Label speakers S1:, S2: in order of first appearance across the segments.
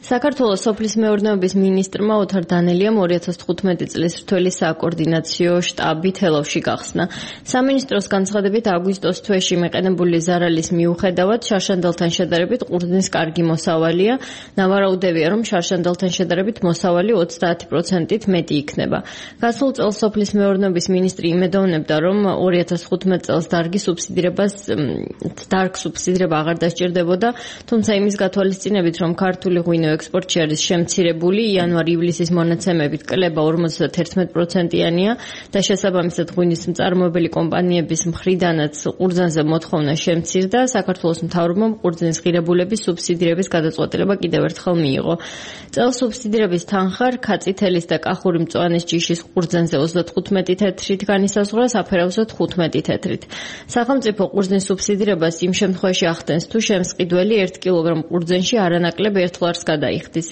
S1: საქართველოს სოფლის მეურნეობის მინისტრმა ოთარ დანელიამ 2015 წლის რთველი საკოორდინაციო შტაბი თელავში გახსნა. სამინისტროს განცხადებით აგვისტოს თვეში მეყენებული ზარალის მიუხედავად შარშანდალთან შედარებით ყურძნის კარგი მოსავალია. ნავარაუდევია, რომ შარშანდალთან შედარებით მოსავალი 30%-ით მეტი იქნება. გასულ წელს სოფლის მეურნეობის მინისტრი იმედოვნებდა, რომ 2015 წელს დარგ სუბსიდირება აღარ დასჭირდებოდა, თუმცა იმის გათვალისწინებით, რომ ქართული ღვინო ექსპორტში არის შემცირებული, იანვარ-ივლისის მონაცემებით კლება 51%-იანია და შესაბამისად ღვინის მწარმოებელი კომპანიების მხრიდანაც ყურძნზე მოთხოვნა შემცირდა. საქართველოს მთავრობამ ყურძნის ღირებულების სუბსიდირების გადაწყვეტილება კიდევ ერთხელ მიიღო. წელს სუბსიდირების თანხა რქაწი თელის და კახური მწვანეს ჯიშის ყურძნზე 35 თეთრით განისაზღვრა, საფერავზე 15 თეთრით. სახელმწიფო ყურძნის სუბსიდირებას იმ შემთხვევაში ახდენს, თუ შემსყიდველი 1 კილოგრამ ყურძნში არანაკლებ 1 ლარს გადაიხდის.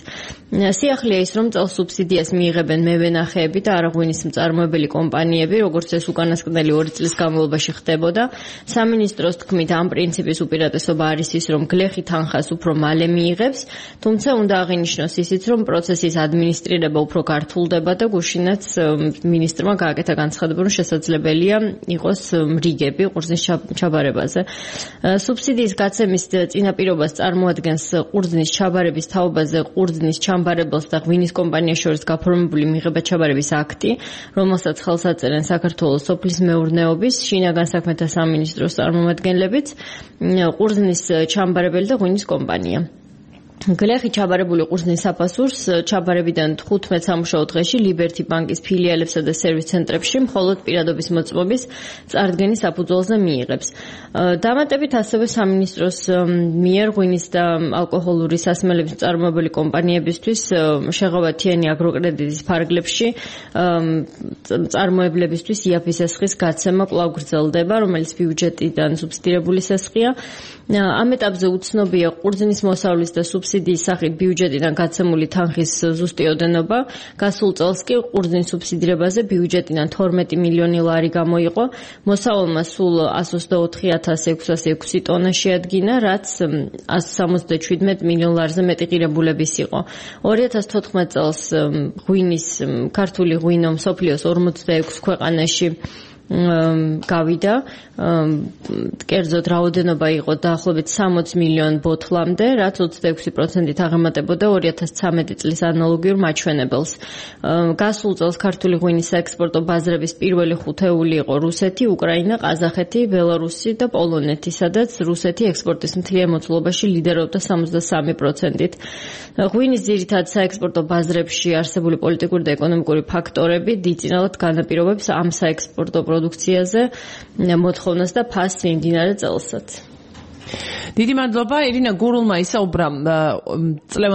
S1: სიახლეა ის, რომ წელს სუბსიდიას მიიღებენ მევენახეები და არაღვინის მწარმოებელი კომპანიები, როგორც ეს უკანასკნელი 2 წლის განმავლობაში ხდებოდა. სამინისტროს თქმით, ამ პრინციპის უპირატესობა არის ის, რომ გლეხი თანხას უფრო მალე მიიღებს, თუმცა უნდა აღინიშნოს ისიც, რომ პროცესის ადმინისტრირება უფრო გართულდება და გუშინაც მინისტრმა გააკეთა განცხადება, რომ შესაძლებელია იყოს რიგები ყურძნის ჩაბარებაზე. სუბსიდიის გაცემის წინაპირობას წარმოადგენს ყურძნის ჩაბარების თაობაზე ყურძნის ჩამბარებელს და ღვინის კომპანიას შორის გაფორმებული მიღება-ჩაბარების აქტი, რომელსაც ხელს აწერენ საქართველოს სოფლის მეურნეობის, შინაგან საქმეთა სამინისტროს წარმომადგენლებიც, ყურძნის ჩამბარებელი და ღვინის კომპანია. გლეხი ჩაბარებული ყურძნის საფასურს ჩაბარებიდან 15 სამუშაო დღეში ლიბერთი ბანკის ფილიალებსა და სერვის ცენტრებში მხოლოდ პირადობის მოწმობის წარდგენის საფუძველზე მიიღებს. დამატებით ასევე სამინისტროს მიერ ღვინის და ალკოჰოლური სასმელების მწარმოებელი კომპანიებისთვის შეღავათიანი აგროკრედიტის ფარგლებში მწარმოებლებისთვის იაფის სესხის გაცემა კვლავ გრძელდება, რომელიც ბიუჯეტიდან სუბსიდირებული სესხია. ამ ეტაპზე უცნობია ყურძნის მოსავლის და სუბსიდიის სახით ბიუჯეტიდან გაცემული თანხის ზუსტი ოდენობა. გასულ წელს კი ყურძნის სუბსიდირებაზე ბიუჯეტიდან 12 მილიონი ლარი გამოიყო. მოსავალმა სულ 124,606 ტონა შეადგინა, რაც 177 მილიონ ლარზე მეტი ღირებულების იყო. 2014 წელს ქართული ღვინო მსოფლიოს 46 ქვეყანაში გავიდა, კერძოდ რაოდენობა იყო დაახლოებით 60 მილიონ ბოთლამდე, რაც 26%-ით აღემატებოდა 2013 წლის ანალოგიურ მაჩვენებელს. გასულ წელს ქართული ღვინის საექსპორტო ბაზრების პირველი ხუთეული იყო რუსეთი, უკრაინა, ყაზახეთი, ბელარუსი და პოლონეთი, სადაც რუსეთი ექსპორტის მთლიან მოცულობაში ლიდერობდა 63%-ით. ღვინის ძირითად საექსპორტო ბაზრებში არსებული პოლიტიკური და ეკონომიკური ფაქტორები დიდწინავად განაპირობებს ამ საექსპორტო პროდუქციაზე მოთხოვნას და ფასს იმდინარე წელსაც.
S2: დიდი მადლობა ირინა გურულმა ისაუბრა წლევანდელ